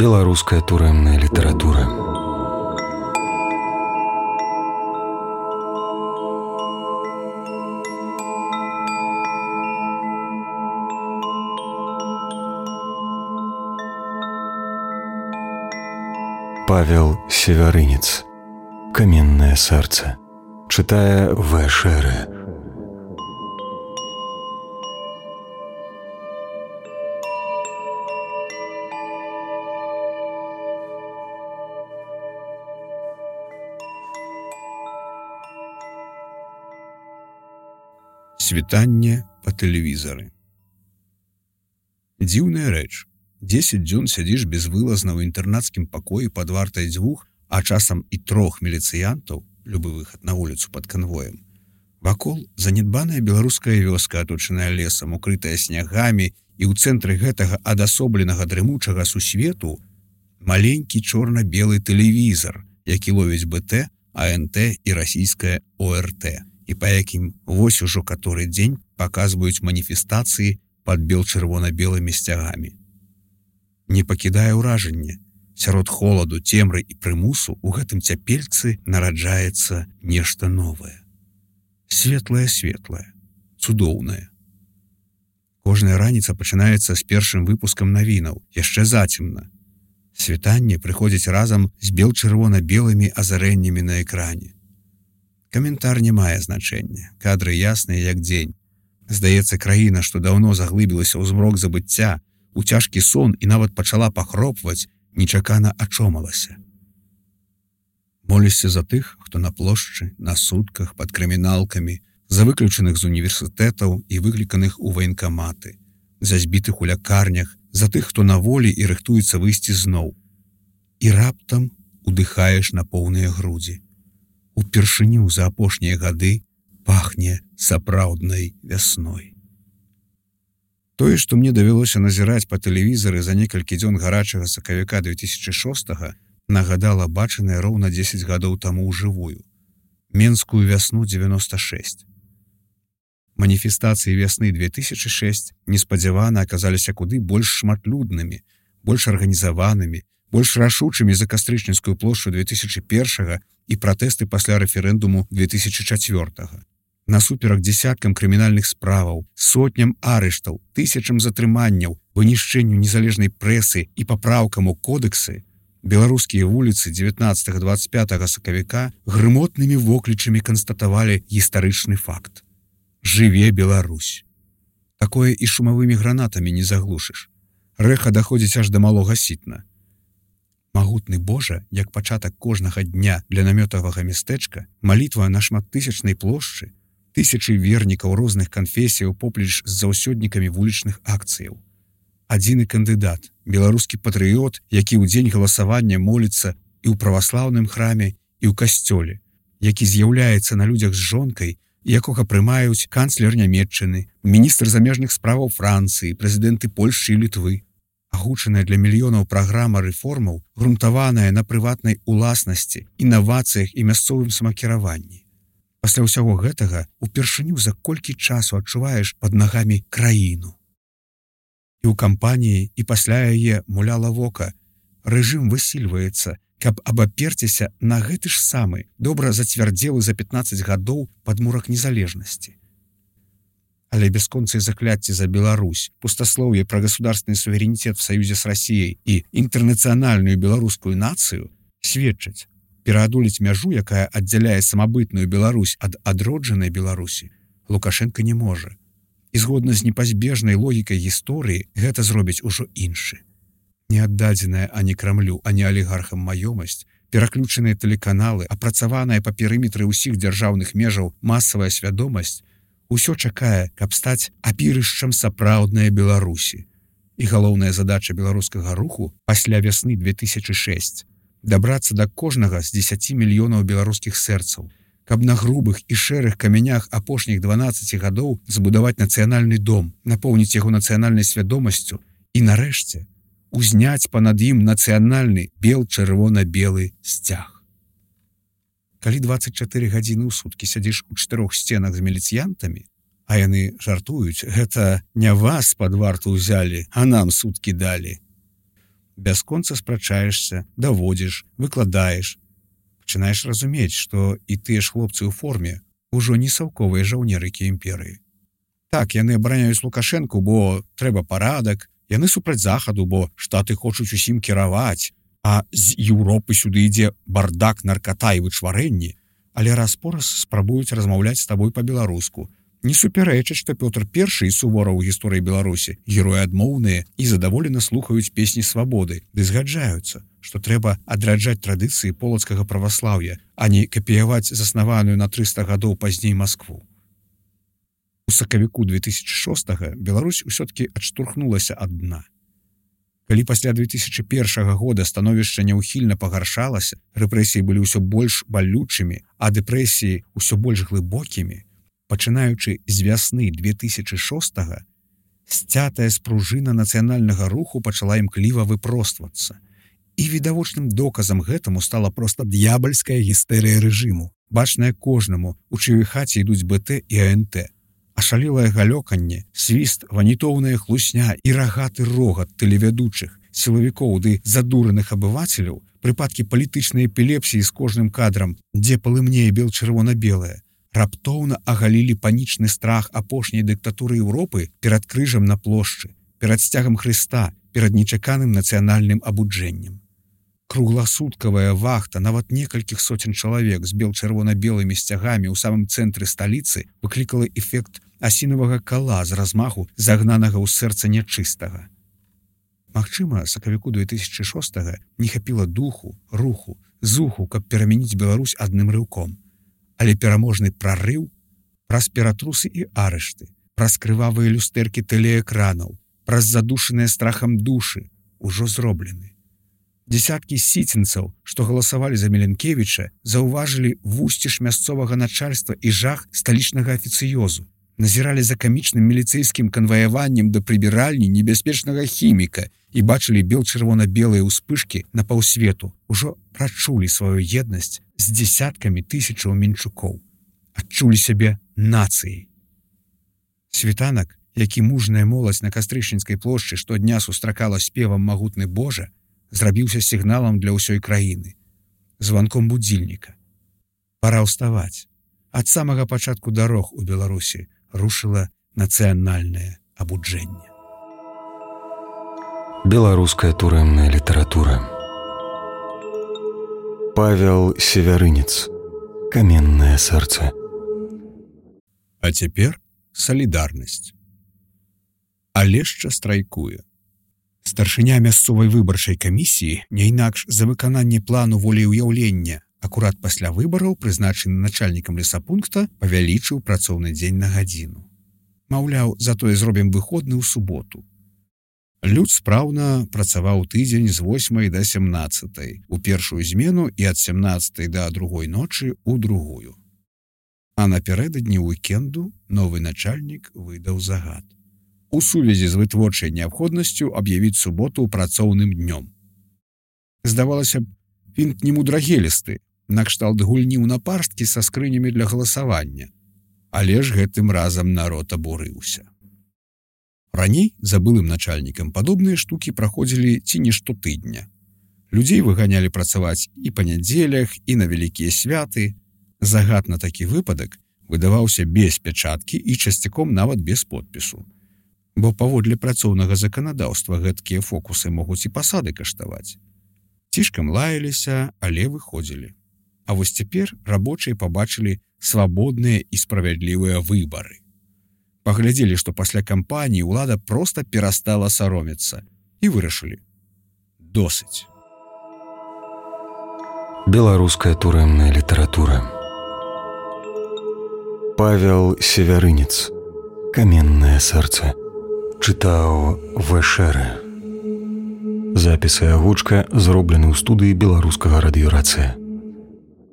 Беларуская турэмная літаратура. Павел Севярынец. «Каменное сердце». Читая В. Шере. Світанне па тэлевізары. Дзіўная рэч. 10 дзён сядзіш безвылазна ў інтэрнацкім пакоі пад вартай 2, а часам і 3 міліцыянтаў, любы выхад на вуліцу пад канвоем. Вакол занядбаная беларуская вёска, аточаная лесам, укрытая снягамі, і ў цэнтры гэтага адасобленага дрымучага сусвету маленькі чорна-белы тэлевізар, які ловіць БТ, АНТ і расійская ОРТ, і па якім вось ужо каторы дзень паказваюць маніфестацыі пад бел-чырвона-белымі сцягамі. Не пакідае ўражанне. Сярод холаду, цемры і прымусу ў гэтым цяпельцы нараджаецца нешта новае. Светлае-светлае, цудоўнае. Кожная раніца пачынаецца з першым выпускам навінаў, яшчэ зацемна. Світанне прыходзіць разам з бел-чырвона-белымі азарэннямі на экране. Каментар не мае значэння, кадры ясныя як дзень. Здаецца, краіна, што даўно заглыбілася ў змрок забыцця, у цяжкі сон і нават пачала пахропваць, нечакана ачомалася. Молішся за тых, хто на плошчы, на сутках, пад крыміналкамі, за выключаных з універсітэтаў і выкліканых у ваенкаматы, за збітых у лякарнях, за тых, хто на волі і рыхтуецца выйсці зноў. І раптам удыхаеш на поўныя грудзі. Упершыню за апошнія гады пахне сапраўднай вясной. Тое, што мне давялося назіраць па тэлевізары за некалькі дзён гарачага сакавіка 2006-го, нагадала бачанае роўна 10 гадоў таму ўжывую. Менскую вясну 96. Маніфестацыі вясны 2006 неспадзявана аказаліся куды больш шматлюднымі, больш арганізаванымі, больш рашучымі за кастрычніцкую плошчу 2001-го і пратэсты пасля рэферэндуму 2004-го. Насуперак дзесяткам крымінальных справаў, сотням арыштаў, тысячам затрыманняў, вынішчэнню незалежнай прэсы і папраўкам у кодэксы, беларускія вуліцы 19-25 сакавіка грымотнымі воклічамі канстатавалі гістарычны факт. Жыве Беларусь! Такое і шумавымі гранатамі не заглушыш. Рэха даходзіць аж да малога сітна. Магутны Божа, як пачатак кожнага дня для намётавага мястэчка, малітва на шматтысячнай плошчы, тысячы вернікаў розных канфесіяў поплеч з заўсёднікамі вулічных акцыяў. Адзіны кандыдат, беларускі патрыёт, які ў дзень галасавання моліцца і ў праваслаўным храме, і ў касцёле, які з'яўляецца на людзях з жонкай, якога прымаюць канцлер Нямецчыны, міністр замежных справаў Францыі, прэзідэнты Польшчы і Літвы. Агучаная для мільёнаў праграма рэформаў, грунтаваная на прыватнай уласнасці, інавацыях і мясцовым самакіраванні. Пасля ўсяго гэтага упершыню за колькі часу адчуваеш пад нагамі краіну. І ў кампаніі, і пасля яе муляла вока. Рэжым высільваецца, каб абаперціся на гэты ж самы, добра зацвярдзелы за 15 гадоў падмурак незалежнасці. Але бясконцыя закляцці за Беларусь, пустаслоўе пра государственный суверенитет в союзе с Россией і інтэрнацыянальную беларускую нацыю сведчаць, пераадолець мяжу, якая аддзяляе самабытную Беларусь ад адроджанай Беларусі, Лукашенко не можа. І згодна з непазбежнай логікай гісторыі гэта зробіць ужо іншы. Неаддадзеная ані Крамлю, ані алігархам маёмасць, пераключаныя тэлеканалы, апрацаваная па перыметры ўсіх дзяржаўных межаў масавая свядомасць, усё чакае, каб стаць апірышчам сапраўднай Беларусі. І галоўная задача беларускага руху пасля вясны 2006 дабрацца да кожнага з 10 мільёнаў беларускіх сэрцаў, каб на грубых і шэрых камянях апошніх 12 гадоў збудаваць нацыянальны дом, напоўніць яго нацыянальнай свядомасцю і, нарэшце, узняць панад ім нацыянальны бел-чырвона-белы сцяг. Калі 24 гадзіны ў суткі сядзіш у 4 сценах з міліцыянтамі, а яны жартуюць, гэта не вас пад варту ўзялі, а нам суткі далі. Бясконца спрачаешся, даводзіш, выкладаеш. Пачынаеш разумець, што і тыя ж хлопцы ў форме ўжо не саўковыя жаўнерыкі імперыі. Так, яны абараняюць Лукашэнку, бо трэба парадак, яны супраць захаду, бо штаты хочуць усім кіраваць, а з Еўропы сюды ідзе бардак, нарката і вычварэнні, але раз-пораз спрабуюць размаўляць з табой па-беларуску. Не супярэчаць, што Пётр I і Сувораў у гісторыі Беларусі героі адмоўныя і задаволена слухаюць песні свабоды, ды згаджаюцца, што трэба адраджаць традыцыі полацкага праваслаўя, а не капіяваць заснаваную на 300 гадоў пазней Маскву. У сакавіку 2006 Беларусь усё-ткі адштурхнулася ад дна. Калі пасля 2001 года становішча няўхільна пагаршалася, рэпрэсіі былі ўсё больш балючымі, а дэпрэсіі ўсё больш глыбокімі, пачынаючы з вясны 2006 сцятая спружына нацыянальнага руху пачала імкліва выпроствацца. І відавочным доказам гэтаму стала проста д'ябальская гістэрыя рэжыму, бачная кожнаму, у чыёй хаце ідуць БТ і АНТ. Ашалелае галёканне, свіст, ванітоўная хлусня і рагаты рогат тэлевядучых, сілавікоў ды задураных абывацеляў, прыпадкі палітычнай эпілепсіі з кожным кадрам, дзе палымнее бел-чырвона-белае, раптоўна агалілі панічны страх апошняй дыктатуры Еўропы перад крыжам на плошчы, перад сцягам Хрыста, перад нечаканым нацыянальным абуджэннем. Кругласуткавая вахта нават некалькіх соцень чалавек з бел-чырвона-белымі сцягамі ў самым цэнтры сталіцы выклікала эфект асінавага кала з размаху загнанага ў сэрца нячыстага. Магчыма, сакавіку 2006 не хапіла духу, руху, зуху, каб перамяніць Беларусь адным рыўком. Але пераможны прарыў праз ператрусы і арышты, праз крывавыя люстэркі тэлеэкранаў, праз задушаныя страхам душы ўжо зроблены. Дзесяткі сіцінцаў, што галасавалі за Міленкевіча, заўважылі вусціш мясцовага начальства і жах сталічнага афіцыёзу, назіралі за камічным міліцэйскім канваяваннем да прыбіральні небяспечнага хіміка і бачылі бел-чырвона-белыя ўспышкі на паўсвету, ужо прачулі сваю еднасць з дзесяткамі тысячаў мінчукоў, адчулі сябе нацыяй. Світанак, які мужная моладзь на Кастрычніцкай плошчы штодня сустракала спевам магутны Божа, зрабіўся сігналам для ўсёй краіны, званком будзільніка. Пара ўставаць. Ад самага пачатку дарог у Беларусі рушыла нацыянальнае абуджэнне. Беларуская турэмная літаратура. Павел Севярынец. Каменнае сэрца. А цяпер салідарнасць. Алешча страйкуе. Старшыня мясцовай выбарчай камісіі, не інакш за выкананне плану волеўяўлення, акурат пасля выбараў, прызначаны начальнікам лесапункта, павялічыў працоўны дзень на гадзіну. Маўляў, затое зробім выходны ў суботу. Люд спраўна працаваў тыдзень з 8 да 17, у першую змену і ад 17 да другой ночы ў другую. А напярэдадні уікенду новы начальнік выдаў загад. У сувязі з вытворчай неабходнасцю аб'явіць суботу працоўным днём. Здавалася б, він немудрагелісты, накшталт гульні ў напарсткі са скрынямі для галасавання. Але ж гэтым разам народ абурыўся. Раней за былым начальнікам падобныя штукі праходзілі ці не штотыдня. Людзей выганялі працаваць і па нядзелях, і на вялікія святы. Загад на такі выпадак выдаваўся без пячаткі і часцяком нават без подпісу. Бо паводле працоўнага заканадаўства гэткія фокусы могуць і пасады каштаваць. Цішкам лаяліся, але выходзілі. А вось цяпер рабочыя пабачылі свабодныя і справядлівыя выбары. Паглядзелі, што пасля кампаніі ўлада проста перастала саромецца і вырашылі. Досыць. Беларуская турэмная літаратура. Павел Севярынец. Каменнае сэрца. Чытаў Вэшэрэ. Запіс і агучка зроблены ў студыі беларускага радыёрацыя.